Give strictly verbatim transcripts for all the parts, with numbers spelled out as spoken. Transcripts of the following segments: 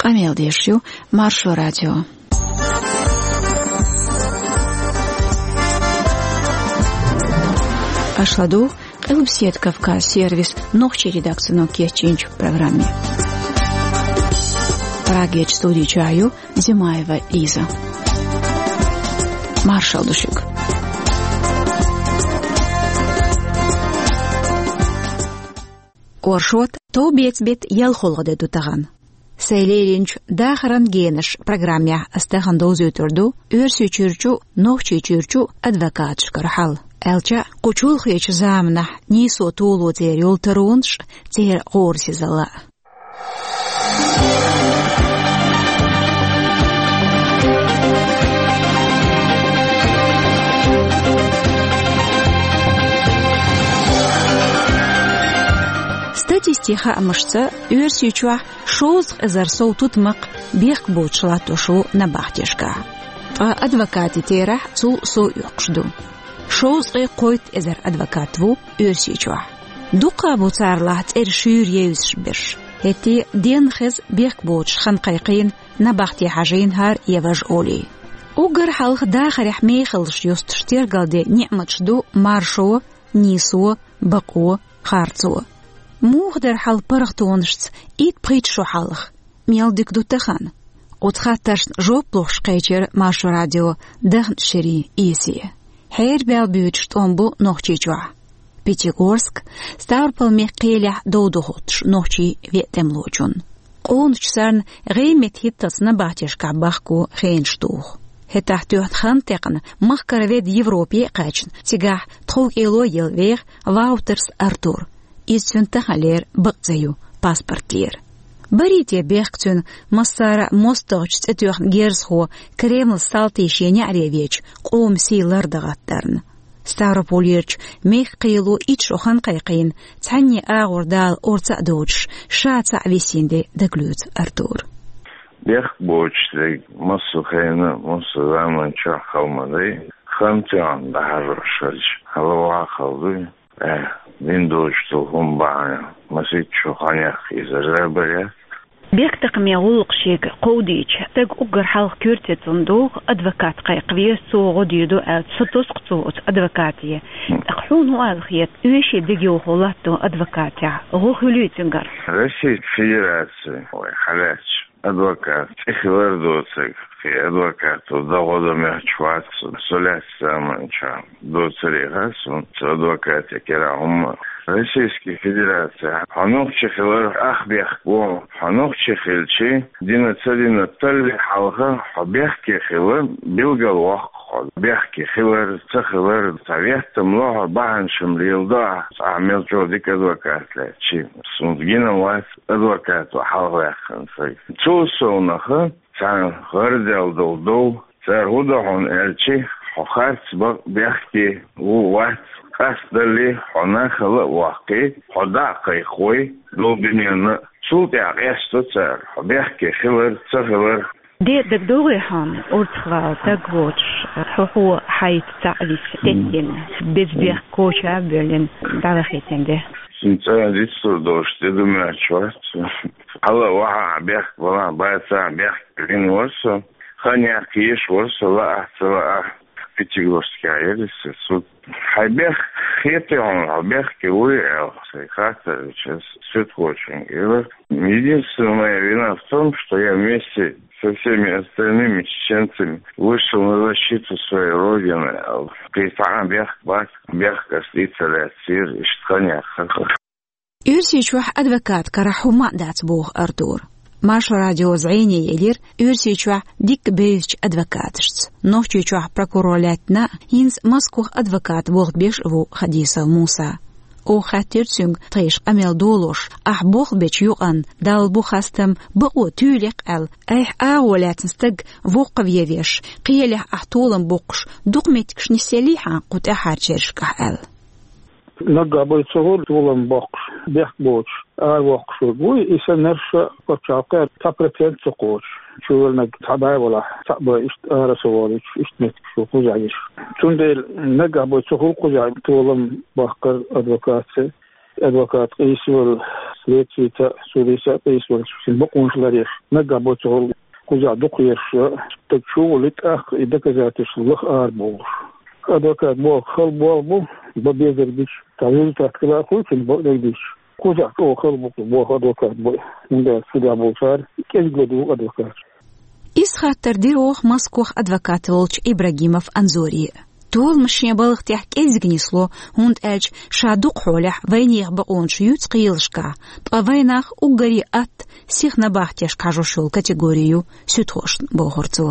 Къамел деш ю Маршо радио. Аша ладугӀу Къилбаседа Кавказ сервисан нохчийн редакцино кечйинчу программе. Прагерчу студи чохь ю Зимаева Лиза. Маршалла ду шуьга. Оршот, товбеца беттан ялхолгӀа де ду тахана. Сайн лелийначу «Дахаран генаш» программехь аса тахана довзуьйтур ду Оьрсийчуьрчу, Нохчийчуьрчу адвокаташкара хьал. Аьлча а, кху чолхечу заманахь нийсо толо церан йолу таронаш а, церан гӀорасизалла а. Статистикан хаамашца, Оьрсийчохь шовзткъа эзар сов тутмакх бехк боцуш латтош ву набахтешкахь. Ткъа адвокатийн терахь цул сов оьккхуш ду. Шовзткъе кхойтта эзар адвокат ву Оьрсийчохь. Дуккха а бу царалахь цӀера шуьйра евзаш берш. ХӀетте а денна хеза бехк боцуш хан кхайкхийна набахте хьажийна хӀара я важа олий. Уггар хьалха дахарехь мехаллаш юстуш тергалден ниӀматаш ду маршо, нийсо, бакъо, харцо. Муха дара хьал паргӀатонашца итт-пхийтта шо хьалха? Мел дика ду тахана? Оцу хаттаршна жоп лохуш кхечира Маршо радион даханчу шерийн эсе. Хьерабаьлла буьйцуш тӀом бу Нохчийчохь. Пятигорск, Ставрополь-мехкан кхелехь дов ду хӀуттуш нохчийн веа тӀемалочунна. Къоначу царна гӀеметтан хӀитталц набахтешкахь бахко хенаш туху. ХӀетахь тоьхна хан а текхна, махкара ведда Европе а кхаьчна, цигахь тховкӀело а елла веха Ваутерс Артур. Иза цуьнан таханлера бакъ цӀе ю паспортера. Барий те бехк цуьнан массара а мостагӀчу цӀе тоьхна герзахо Кремлан салтий шен неӀаре веча, къоман сий лардан гӀаттарна? Ставрополерчу мехкан кхело итт шо хан кхайкхийна, цхьанне агӀор Дала орца а доцуш, ша цхьаъ висина де дагалоьцу Артура. Бехк боцуш дерг массо а хенахь, массо а заманчохь хала ма дай. Хан тоьхна дӀахьажош хилча, хьала ваха хала дуй. Э, дин доцуш долу хӀума бахьана, масийтта шо хан яккха иза рабарехь. Бехктакхаман гӀуллакх шега кховдийча, стаг уггар хьалха коьртецунна догӀу, адвокат кхайкхавеза, цо гӀо дийр ду аьлла, со тосу-кх цо оцу адвокате. ТӀаккха хьуна хӀун аьлла хета, оьший дегайовхо латтон адвокатехь гӀо хуьлий цуьнгара? Российская Федерация, вай хьалаьцча, адвокат цӀе хилар доцург, кхин адвокато дагӀо дан моьттуш вац со, со лаьцна заманчохь. Доцург хьан суна цу адвокатан кара хӀумма. Российская Федерация, хьо нохчи хилар ах бехк бу, хьо нохчи хилчи, дина ца дина талли хьалха хьо бехке хила билгал воккху хьо. Бехке хилар, ца хилар, цхьа веттам ло хьо, бахьанаш-м леладо ахь, ахь мел чӀогӀа дика адвокат лаьцчи. Суна гина вац адвокато хьалхаваьккхина стаг. Цул совнаха, царна гӀарадаьлла долу дов, цара хӀун до хьуна аьлчи, хьо харц бан бехке ву вац, къастадалли, хьо нахала а ваккхий, хьо дӀа а кхайкхой, дов бинарна а, цул тӀаьхьа къасто цара, хьо бехке хилар, ца хилар. Де дагадогӀий хьуна, урцахвала стаг воцуш, хьо хьо хьайца цхьаъ виса, теттина, беза бехк коча а боьллина, дӀавахийтина де? Цуьнан цӀа дицлур долуш тӀе ду моьттуш вац. Хьала а вахьа а бехк балахь, бацахь а бехк вина вара со. Хан яккха езаш вара со, лаахь а, ца лаахь а, Пятигорскехь яра иза суд. Хьайн бехк хетий хьуна, хьо бехке вуй аьлла, сайн хаттар дича, суьдхочуьнга элира. Единственная моя вина в том, что я вместе со всеми остальными чеченцами вышел на защиту своей родины, аьлла. Кхин цхьа а бехк бац, бехк ас дийца лаьцнера, иштта хан яьккхира. Оьрсийчохь адвокатан карахь хӀумма а дац, боху Артура. Маршо радио зӀене елира Оьрсийчохь дикка бевзачу адвокаташца. Нохчийчохь прокурор лаьттина а, хӀинца Москвахь адвокатан болх беш а ву Хадисов Муса. Оха хаьттира цуьнга, тхайша къамел долош, ахь болх бечу юкъанна, Далла бу хастам, бакъо туьйлакх аьлла, айхьа агӀо лаьцна стаг воккхаве веш, кхелехь ахь толам боккхуш, дукха меттигаш нисъеллий хьан кху тӀаьхьарчу шерашкахь аьлла? Наггахь бай ца хуьлу толам боккхуш, бехк боцуш, аравоккхуш верг вуй, и санна нерша пачхьалкхе цхьа процент ца кхочуш, чувелнаг цхьа бӀе валахь, цхьаъ бай иштта ара ца волуьйтуш, иштта меттигаш ю кхузахь йиш. Цундела наггахь бай ца хуьлу кхузахь толам баккхар адвокатца. Адвокат къийсавелла, следствица, судица къийсавелла, шин бакъонаш ларъеш, наггахь боцурла кхузахь дукхаерш, стаг чу а волий, тӀаккха и доказательства лаха арабовлуш. Адвокат боху хала болх бу, бан безар бича, цхьа результат хила а хуьлу цуьнан бакъдерг дича. Кхузахь чӀогӀа хала бу кху боху адвокат бу, хӀунда аьлча судехь болчара кӀезиг ладугӀу адвокаташ. Иза хаттар дира оха Москвахь адвокат волчу Ибрагимов Анзоре. Толамаш шен балха тӀехь кӀеззиг нисло, хӀунда аьлча ша дукха хьолехь вайнехан бакъонаш юьйцу кхелашкахь, ткъа вайнах уггаре атта, сиха набахтешка хьажош йолу категори ю суьдхошна, бохура цо.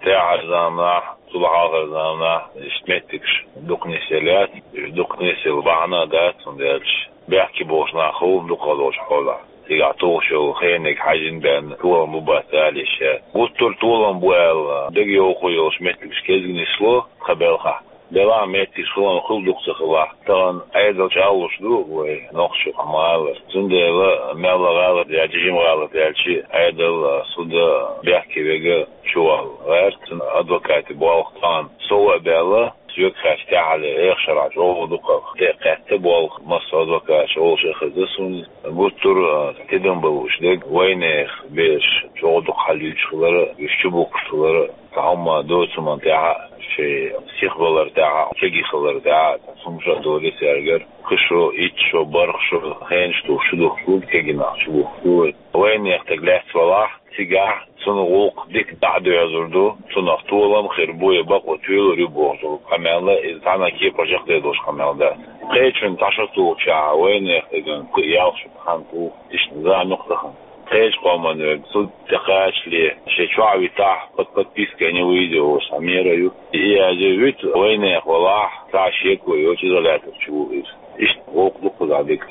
ТӀаьхьара заманахь, цул хьалхара заманахь иштта меттигаш дукха нисъелла яц, уьш дукха нисъелла бахьана а дац, хӀунда аьлча бехке болуш нах хуьлу дукхах долчу хьолехь. Цигахь тухуш йолу хениг хьаьжжина бен толам бу бац ала йиш яц. Гуттар а толам бу аьлла, дегайовхо йолуш меттигаш кӀезиг нисло тхан балхахь. Делахь меттигаш хиларна хуьлу, дукха ца хилахь. Тахана Ӏедал чӀагӀлуш ду вай нохчо, ма-аллара. Цундела мел гӀалат яьлча, жима гӀалат яьлча, Ӏедал, суда бехке верг чувалла гӀерта. Цуьнан адвокатийн болх тахана сов а баьлла, соьга хаьттича, тӀаьххьара эха шарахь чӀогӀа дукха тӀе а кхетта болх массо а адвокаташа олуш а хезна суна. Гуттар а тидам балуш дерг, вайнехан бераш чӀогӀа дукха хьалаюьйцуш хилар, уьш чубухкуш хилар, цхьа хӀума доцурна тӀехь а, шайн сихбалар тӀехь а, кегий хилар тӀехь а, цхьа хӀумнаш а долий цаьргара, кхо шо, итт шо, бархӀ шо хенаш тухуш чудухкуш бу, кегий нах чубухкуш бу. Вайнехан стаг лаьцна валахь, цигахь цуьнан гӀуллакх дика дӀа а доьзур ду, цунах толам а хир бу, я бакъо туьйлур ю бохуш долу къамел, иза цхьана а кепара чекхдер долуш къамел дац. Кхечунна цхьа шо тухучохь вайнехан стагана кхин а ялх шо хан туху, иштта зама юкъа тахана. Кхечу къоман верг суд тӀе кхачале, шен чохь а витахь, под подпиской не выйдёшь, цхьа мера ю. И язъе вуьту, вайнехан валахь, цхьа а шеко йоцуш изолятор чу ву иза. Иштта гӀуллакх ду кхузахь дика.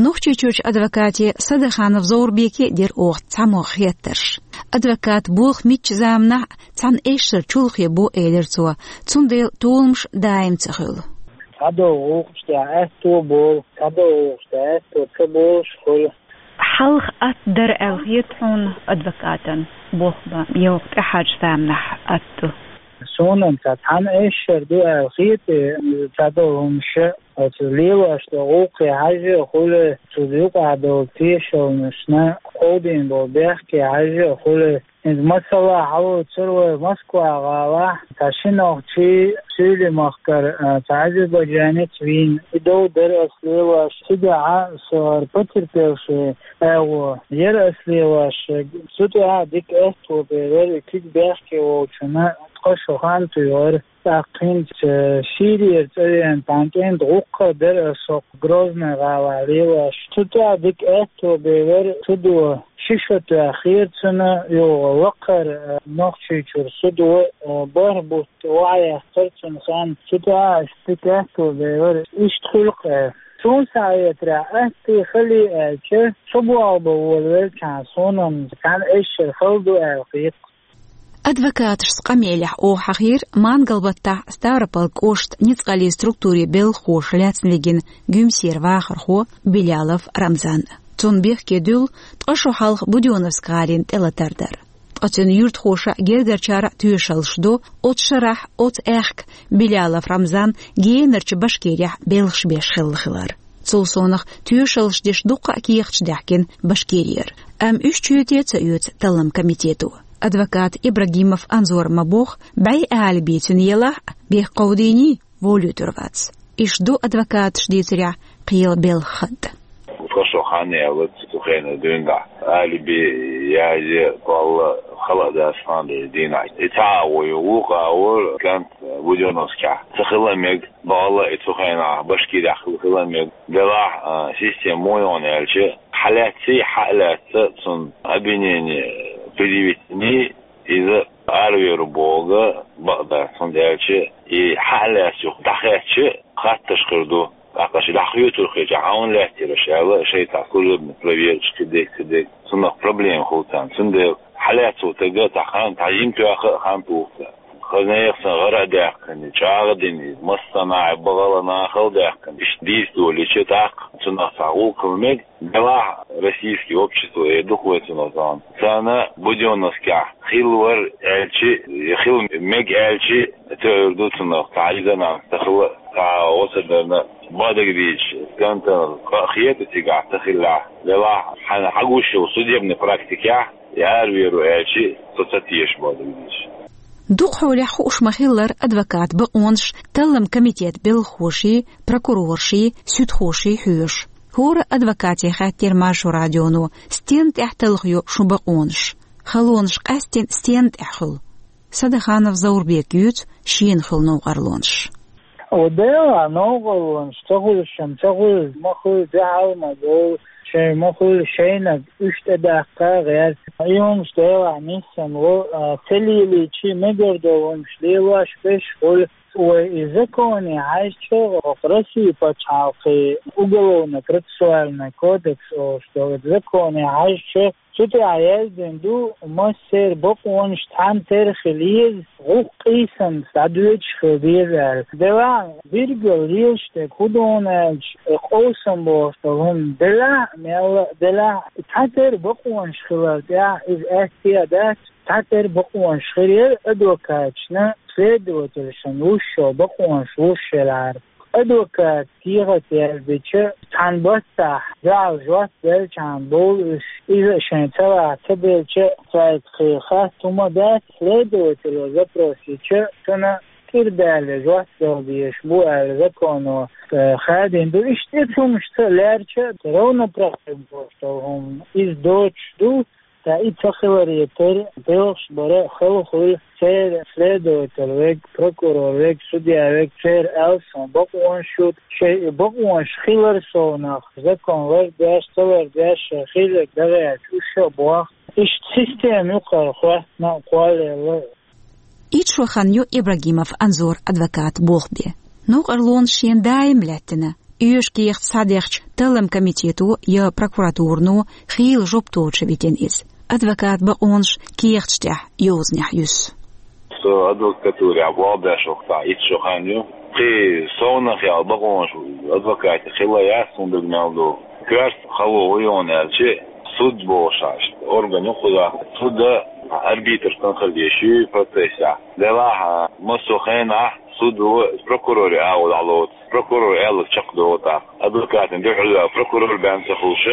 Нохчийчуьрчу адвокате Садаханов Зоврбеке а дира оха цхьамогӀа хеттарш. Адвокатан болх муьлххачу заманахь а цхьана эшшара чулхе бу, элира цо, цундела толамаш даим ца хуьлу. Цхьадолу гӀуллакхаш тӀехь атто болу, цхьадолу гӀуллакхаш тӀехь атто ца болуш хуьлу. Хьалха атта дара аьлла хета хьуна адвокатан болх бан, я хӀокху тӀаьхьарчу заманахь атта ду? Суна-м ца цхьана эшшара ду аьлла хета, цхьадолу хӀумнаш а, оцу лелош долу гӀуллакхе хьаьжжа а хуьлу, цу юкъахь долу тешалнашна кховдийна болу бехке хьаьжжа а хуьлу. Иза масала хьалоцура вай Москва-гӀалахь, цхьа ши нохчи Суьйли-махкара, а, цхьа азербайджанец вийна. И дов дара ас лелош, цигахь а со хӀара потерпевший агӀо яра ас лелош. Цу тӀехь а дика атто бевара и куьг бехке волчунна, ткъа шо хан туьйхира. ТӀаккха хӀинца Сирера цӀа веана тхьана кӀентан гӀуллакх а дара ас хӀокху Грозный-гӀалахь лелош. Цу тӀехь дика атто бевара судо, ши шо тоьхнера цунна, юха лакхара, а, Нохчийчуьра судо, а, бархӀ бутт охьаэцнера цунна хан. Цу тӀехь а дика атто бевара. Иштта хуьлу-кх. Суна схьахетарехь, атта а хала а аьлча, со болх бан волавелчахьана, суна-м цхьана эшшара хала ду аьлла хета. Адвокаташца къамелехь оха хьахийра Мангалбаттахь Ставрополь кӀоштан ницкъаллин структурийн белхахоша лаьцна вигина Гуьмсера вахархо Белялов Рамзан. Цунна бехке дуьллу ткъа шо хьалха Будённовск-гӀалина тӀелатар дар. Ткъа цуьнан юьртахоша а, гергарчара а тоьшаллаш до, оцу шарахь, оцу аьхка Белялов Рамзан генарчу Башкирехь белхаш беш хилла хилар. Цул совнаха тоьшаллаш деш дуккха а кехаташ даьхкина Башкирера. Амма уьш чоьте а ца оьцу талламан комитето. Адвокат Ибрагимов Анзора ма-бохху, бӀе алиби цуьнан елахь а, бехк кховдийний, волуьйтур вац. Иштта ду адвокаташа дийцарехь кхелан белхан хатта. Ткъа шо хан яьлла цу хенахь дуьйна дӀа. Алиби язъе, валла, хала а дац хан деза дийнахь. И цхьа агӀо ю, вукху агӀор кӀант Будённовскехь ца хила а мега, валла, и цу хенахь Башкирехь хила, хила а мега. Делахь, а, система муха ю аьлча, хьалаьцций, хьа а лаьцна цунна обвинение предъявить йиний, иза аравер ву бохург бакъ дац, хӀунда аьлча и хьа а лаьцна юха дӀахаьттича, хаттарш хир ду. ТӀаккха ши дӀахоьцур хилча, хьан лаьттира аша аьлла, шайтӀа служебный проверкаш кхидерг, кхидерг. Цунах проблема хуьлу царна. Цундела хьалаьцна волу стаг цхьа хан, цхьа жима тоьхна а хан туху цара. Хаза нехан санна гӀара а даьккхина, чӀагӀ а дина, массанхьа а бакъ а нахала даьккхина. Иштта дийца долийча, тӀаккха цунах цхьа гӀуллакх хила мега. Делахь российский общество, э, дукха вай цунах зовна. Царна Будённовскехь хилла вара аьлча, я хила мега аьлча, тоьар ду цунах, цхьа резонанс ца хила, цхьа гӀо ца дарна. Бадагадийча, кантан къа хета цигахь ца хилла, делахь хьан хьагуш йолу судебный практикехь, я аравер ву аьлчи, со ца теша бадагадийча. Дукха хьолехь хууш ма-хиллара адвокат бакъонаш таллам комитет белхахоший, прокурорший, суьдхоший хьоьжуш. ХӀора адвокате хаьттира Маршо радионо, стенна тӀехь талхайо шун бакъонаш? Халонаш къаьстина стенна тӀехь хуьлу? Садаханов Заурбека юьйцу шена хуьлу новкъарлонаш. О, делахь, новкъарлонаш ца хуьлуш-м ца хуьлу, ма хуьлу, дуьхьал ма бовлу, шайн ма хуьлу, шайнаг уьш тӀедаккха гӀерта. И хӀумаш делахь ниссан ло, а, ца лелийча мегар долу хӀумаш лелош берш хуьлу. Вай и законе хьаьжча, хӀокху Россин пачхьалкхе уголовно-процессуальный кодекс олуш долу законе хьаьжча, цу тӀехь яздина ду, массеран бакъонаш цхьана тера хила еза, гӀуллакх къийсамца дӀадоьдуш хила деза аьлла. Делахь, билггал лелаш дерг хӀун ду аьлча, и къовсам бохуш долу хӀума делахь а, мелла а делахь а, цхьатера бакъонаш хилар тӀехь иза аьтто а дац, цхьатера бакъонаш хир яра адвокаташна, следователашна луш йолу бакъонаш луш елахьара. Адвоката кехат яздича, цхьана баттахь дуьхьал жоп делчхьана бовлу уьш. Иза а шайн цӀа ваха ца делча, цаьрга кхин хатта хӀума дац, следователо запрос йича, цунна кӀира даьлла жоп дала дезаш бу аьлла законо, э, хадийна ду. Иштта и хӀумаш ца лаьрча, равноправие бохуш долу хӀума, иза доцуш ду. Ткъа и ца хиларе терра, белхаш бара хала хуьлу церан следователь верг, прокурор верг, судья верг, церан аьлла суна бакъонаш ю, шайн бакъонаш хилар совнах, закон лардеш, ца лардеш, шайн хилларг дагӀаьрча, уьш а боху. Иштта система юкъара хӀоьттина а кхоллаелла. Итт шо хан ю Ибрагимов Анзор адвоката болх бен. Новкъарлонаш шена даим лаьттина. Оьшу кехат схьадехча, таллам комитето я прокуратурано хийла жоп тоцуш витина иза. Адвоката бакъонаш кехаташ тӀехь йозанехь юьсу. Со адвокатурехь болх беш вахана итт шо хан ю. Кхин совнах яьлла бакъонаш адвокатех хилла яц, суна дага мел ду. Коьрта хало ву йона аьлча, суд бохуш, орган ю кхузахь. Суд арбитр санна хила дезаш ю процессехь. Делахь, массо а хенахь суд ву прокуроре агӀо дӀалоцу. Прокурор аьлларг чекхдолу тӀаккха. Адвокатана дуьхьал ваьлла прокурор бен ца хуьлуш,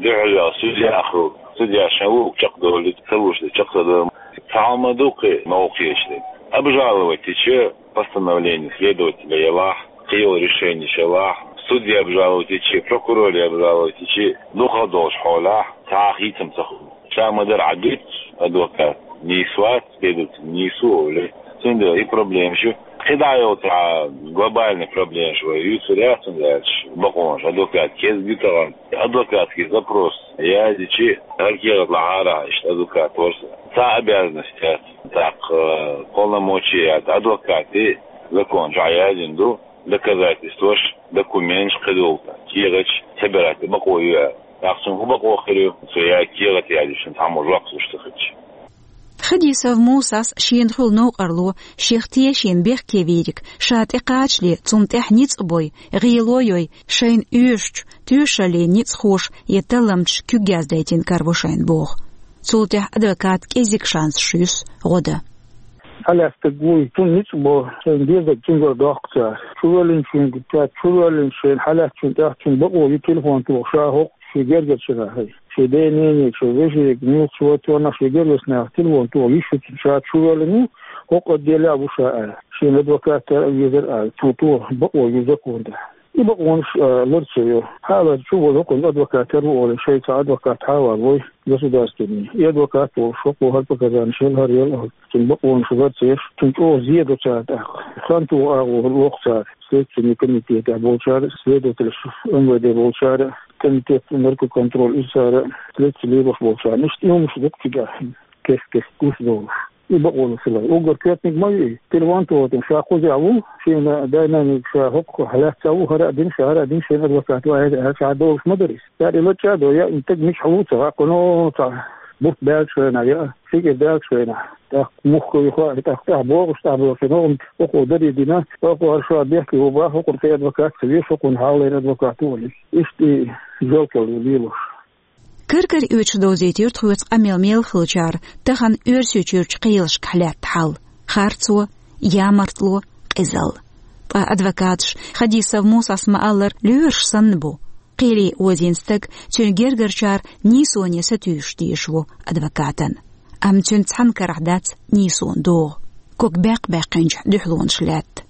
дуьхьал ваьлла судья а хуьлу. Судья шен луург чекхдолуьйту, ца лууш дерг чекхдолуьйту. Цхьа хӀума ду кхин новкъа хеташ дерг. Обжаловать йича постановление следователя елахь, кхин йолу решенеш елахь, судье обжаловать йича, прокуроре обжаловать йича, дукхах долчу хьолехь цхьа а хийцам ца хуьлу. Ша ма-дарра Ӏа дуьйцу, адвокат нийса вац, следователь нийса ву олий. Цундела и проблемаш ю. КхидӀа йолу цхьа глобальный проблемаш вай юьйцур яц, хӀунда аьлча бакъонаш адвокат кӀезиг ю тахана. Адвокатский запрос яздича, хӀара кехат лахьара иштта адвокат вара со. Цхьа обязанность яц, тӀаккха, э, полномочия яц. Адвокате закон чохь яздина ду, доказательстваш, документаш кхидолу, кехаташ собирать бакъо ю аьлла. ТӀаккха цунна хӀун бакъо хир ю, цо яздина кехат яздича, цхьаммо жоп луш ца хилча? Хадисов Мусас шена хуьлу новкъарло, шех тешийна бехке вийриг ша тӀекхачале, цунна тӀехь ницкъ бой, гӀело йой, шайна оьшучу тоьшаллин ницкъахоша я талламчаша куьг яздайтина караво шайна боху. Цул тӀаьхьа адвоката кӀеззиг шансаш юьсу гӀо дан. Хьалаьцнарг вуй, цунна ницкъ бо, шайна дезарг цуьнгара доккху цара. Чувоьллинчуьнга, цара чувоьллинчу шайна хьалаьцначунна тӀехь цуьнга бакъо ю телефон тоха, ша хӀокху шен гергарчу нахе, шен ден-ненега, шен вежарийга, муьлхха вай тоьхна шен гергарчу нахе телефон тоха, йиш ю цуьнан, ша чувоьллина ву, хӀокху отделехь а ву ша аьлла. Шена адвокат тера а везар аьлла, цо тоха бакъо ю законехь. И бакъонаш, а, лар ца йо. Хьалар чу волу хӀокхуьнан адвокат тера ву олий, шайн цхьа адвокат хьавар вой, государственный. И адвокат волуш хӀокхо хӀара показанеш ял, хӀара ял, цуьнан бакъонаш лар ца еш, цунна чӀогӀа зен до цара тӀаккха. Хан тоха агӀо лоху цара, Следственный комитетехь болчара, следователаш, МВД болчара, комитет наркоконтроль, иза цара, следствие лелош болчарна. Иштта и хӀумаш ду-кх цигахь, кест-кест гуш долуш. И бакъо ю хилар. Уггар коьртаниг ма ю и. Телефон тоха, ша кхузахь ву, шена дай-наной ша хӀокху хьалаьцна ву, хӀара а дина, ша хӀара а дина, шена адвокат ву аьлла, аьлла, ша долуш ма дара иза. Цара и лачкъа а до, я и стаг мичахь ву ца хаьа, кхуьно цхьа бутт баьллачу хенахь, я фикир даьллачу хенахь. ТӀаккха мухха ю хаьа, тӀаккха тӀаьхьа богӀуш тӀехь боху, хӀокхо даре дина, хӀокхо хӀара ша бехке ву баха, хӀокхунна тхайн адвокат ца веза, хӀокхунна хьалха лайна адвокат ву олий. Иштта и жоьлкалла лелош. Кар-кара оьцуш довзийтира тхоьца къамел мел хиллачара тахана Оьрсийчуьрчу кхелашкахь лаьтта хьал: харцо, ямартло, къизалла. Ткъа адвокаташа, Хадисов Мусас ма-аллара, лоьраш санна бу. Кхеле озийна стаг, цуьнан гергарчара нийсоне сатуьйсуш дезаш ву адвокатана. Амма цуьнан цхьана карахь дац нийсонан догӀа. Ког баьккха-баьккхинчохь дуьхьалонаш лаьтта.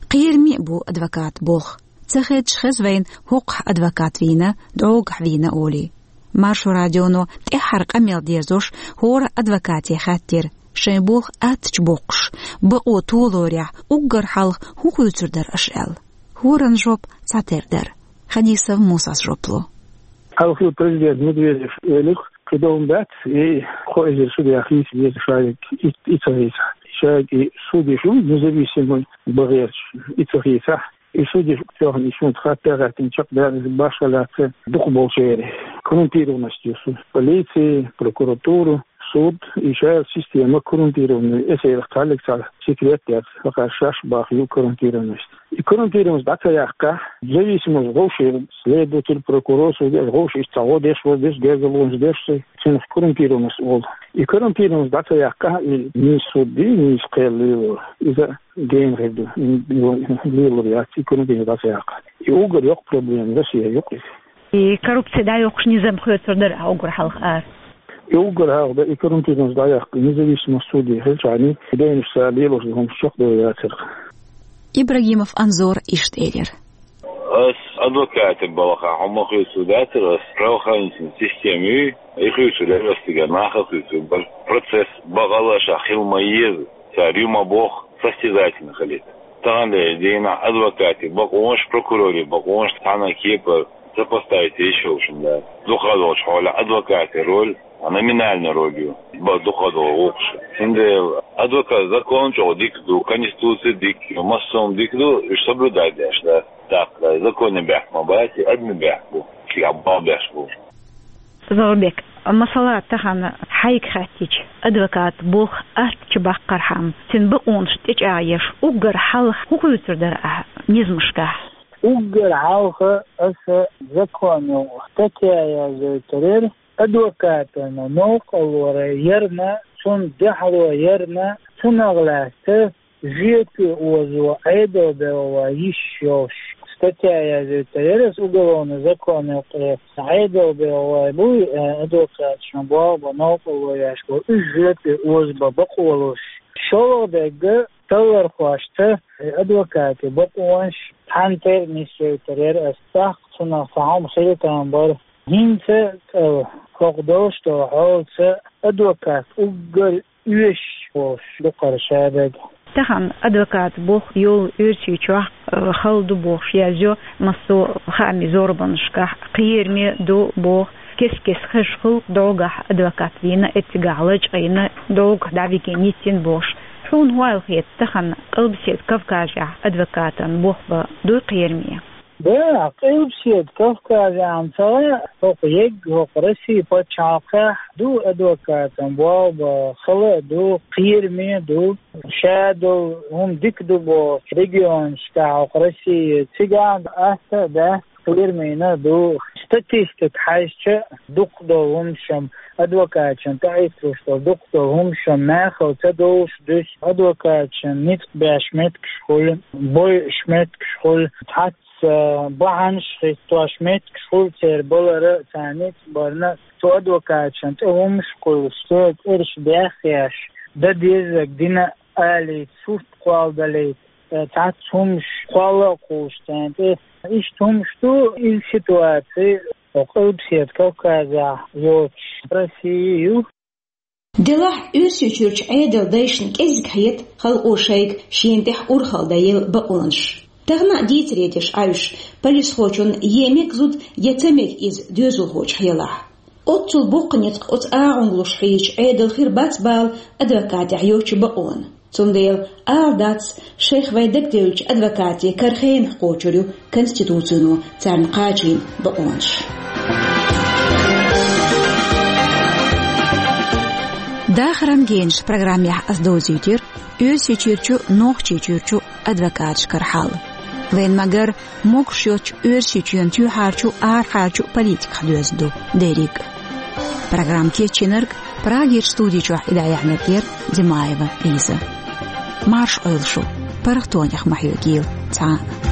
Кхераме а бу адвокатан болх. Ца хедаш хеза вайна, хӀокхахь адвокат вийна, дӀогахь вийна олий. Маршо радионо тӀаьххьара къамел дерзош хӀора адвокате хаьттира, шайн болх аттачу боккхуш, бакъо толорехь, уггар хьалха хӀун хуьйцур дара аша аьлла. ХӀоран жоп цхьатера дара. Хадисов Мусас жоп ло. Хьалхара президент Медведев элира, кхидолу дац, и кхо эзар судья хийца веза шайга, и, и ца хийцахь. Шайга и судья шу независимый бан гӀерташ, и ца хийцахь. И судья тоьхна и шуна хатта гӀаьттина чекхдаьлла, иза башха лаьцна дукха болчеран коррумпированность ю суд. Полиция, прокуратура, суд, и шайла система коррумпированная, эсерах кхаллиг цхьа секрет яц, хӀокхара шаьш баха ю коррумпированность. И коррумпированность дӀа ца яккхахь, зависимость вовшех следователь, прокурор, судья, вовшех цхьа гӀо деш, вовшех гергарлонаш деш, цунах коррумпированность олу. И коррумпированность дӀа ца яккхахь, и нийса суд ди, нийса кхел лело. Иза гена хир ду, м, м, лелор яц, и коррупци дӀа ца яккха. И уггар йоккха проблема Россия юкъа иза. И коррупци дӀайоккхуш низам хоьцур дара уггар хьалха ара. И уггар хьалха дан, и коррупци дӀаяккха, независимость судей хилчахьана, и дайнаш ца лелош ду хӀумаш чекхдала яцара. Ибрагимов Анзор иштта элира. Ас адвокатан балхахь хӀума хуьйцур дацара, ас правоохранительная система ю, и хуьйцур яра ас цигара, нах а хуьйцур бара. Процесс бакъалла ша хила ма еза. Цара ю ма боху, состязательно хилийта. Тахана дийнахь адвокатийн бакъонаш, прокурорийн бакъонаш цхьана кепара сопоставить йиш йолуш ма дац. Дукха долчу хьолехь адвокатийн роль, а, номинальная роль ю, бакъ дукха долу гӀуллакхаш. Цундела адвокат закон чӀогӀа дика ду, конституция дика ю, массо а дика ду, уьш соблюдать деш дац. ТӀаккха законе бехк ма бац, и адаме бехк бу, цигахь бал беш бу. Заурбек, масала, тахана хьайга хаьттича, адвокатан болх аттачу баккхархьама, цуьнан бакъонаш тӀечӀагӀъеш, уггар хьалха хӀун хуьйцур дара ахьа низамашкахь? Уггар хьалха аса законехь статья язйойтур яра, адвокатана новкъарло ярна, цунна дуьхьало ярна, цунах лаьцна жоьпе озо Ӏедал бегӀа ван йиш йолуш статья язйойтур яра аса уголовный законехь. Ткъа Ӏедал бегӀа ван буй, э, адвокаташна болх бан новкъарло еш бу, уьш жоьпе озабан бакъо луш. ШолгӀа дерг, таллархошца, э, адвокатийн бакъонаш цхьаьна тера нисйойтур яра аса, тӀаккха цунах цхьа хӀума хила там бара. ХӀинца, э, хӀокху долуш долу хьолаца адвокат уггар оьшуш волуш ду кхара шадерг. Тахана адвокатан болх йолу Оьрсийчохь, э, хала ду бохуш язйо массо а хаамийн зорбанашкахь, кхераме ду боху, кест-кеста хезаш хуьлу, дӀогахь адвокат вийна, эццигахь лачкъийна, дӀогахь дӀавигина йиттина бохуш. Хьуна хӀун аьлла хета, тахана Къилбаседа Кавказехь адвокатан болх бан дуй кхераме? Да, Къилбаседа Кавказехь ца гӀо, хӀокху егга, хӀокху Россин пачхьалкхехь ду адвокатан болх бан, хала а ду, кхераме а ду, ша долу хӀума дика ду бохучу регионашкахь хӀокху Россин, цигахь атта а дац, кхерамена а ду. Статистика хьаьжча, дукха долу хӀумнаш-м, адвокаташна тӀеӀитталуш долу дукха долу хӀумнаш-м нахала ца довлуш дуьсу, адвокаташна ницкъ беш меттигаш хуьлу, бойуш меттигаш хуьлу, цхьацца бахьанаш хӀиттош меттигаш хуьлу церан балар а, царна ницкъ барна а. Цу адвокаташна тӀе хӀумнаш а кхуьйлуш, церан цӀераш бехъеш, дан дезарг дина а алийта, сурт кхолладалийта, цхьацца хӀумнаш кхолла а кхуллуш царна тӀе. Иштта хӀумнаш ду, иза ситуаци хӀокху Къилбаседа Кавказехь йоцуш Россия ю. Делахь Оьрсийчуьрчу Ӏедалан дайшна кӀезиг хета халкъо шайга шена тӀехь урхалла дан елла бакъонаш. Тахана а дийцаре деш Ӏаьвша, полисхочунна е мега зуда, е ца мега иза доьзалхочух елахь. Оццул боккха ницкъ оцу агӀонга луш хьийзачу Ӏедалан хир бац бала адвокатех йоцчу бакъонан. Цундела ала дац, шайх вайн дагадевллачу адвокатийн кара хенахь кхочур ю Конституцино царна кхачийна бакъонаш. Дахаран генаш программехь ас довзуьйтира Оьрсийчуьрчу, Нохчийчуьрчу адвокаташкара хьал. Вайн ма-гарра, могуш йоцчу Оьрсийчоьнан тоьххьарчу, арахьарчу политиках доьзна ду дерриг. Программа кечйинарг, Прагерчу студи чохь и дӀаяьхьнарг яра Димаева Лиза. Марша Ӏойла шу, паргӀатонех ма хьоьгийла. time.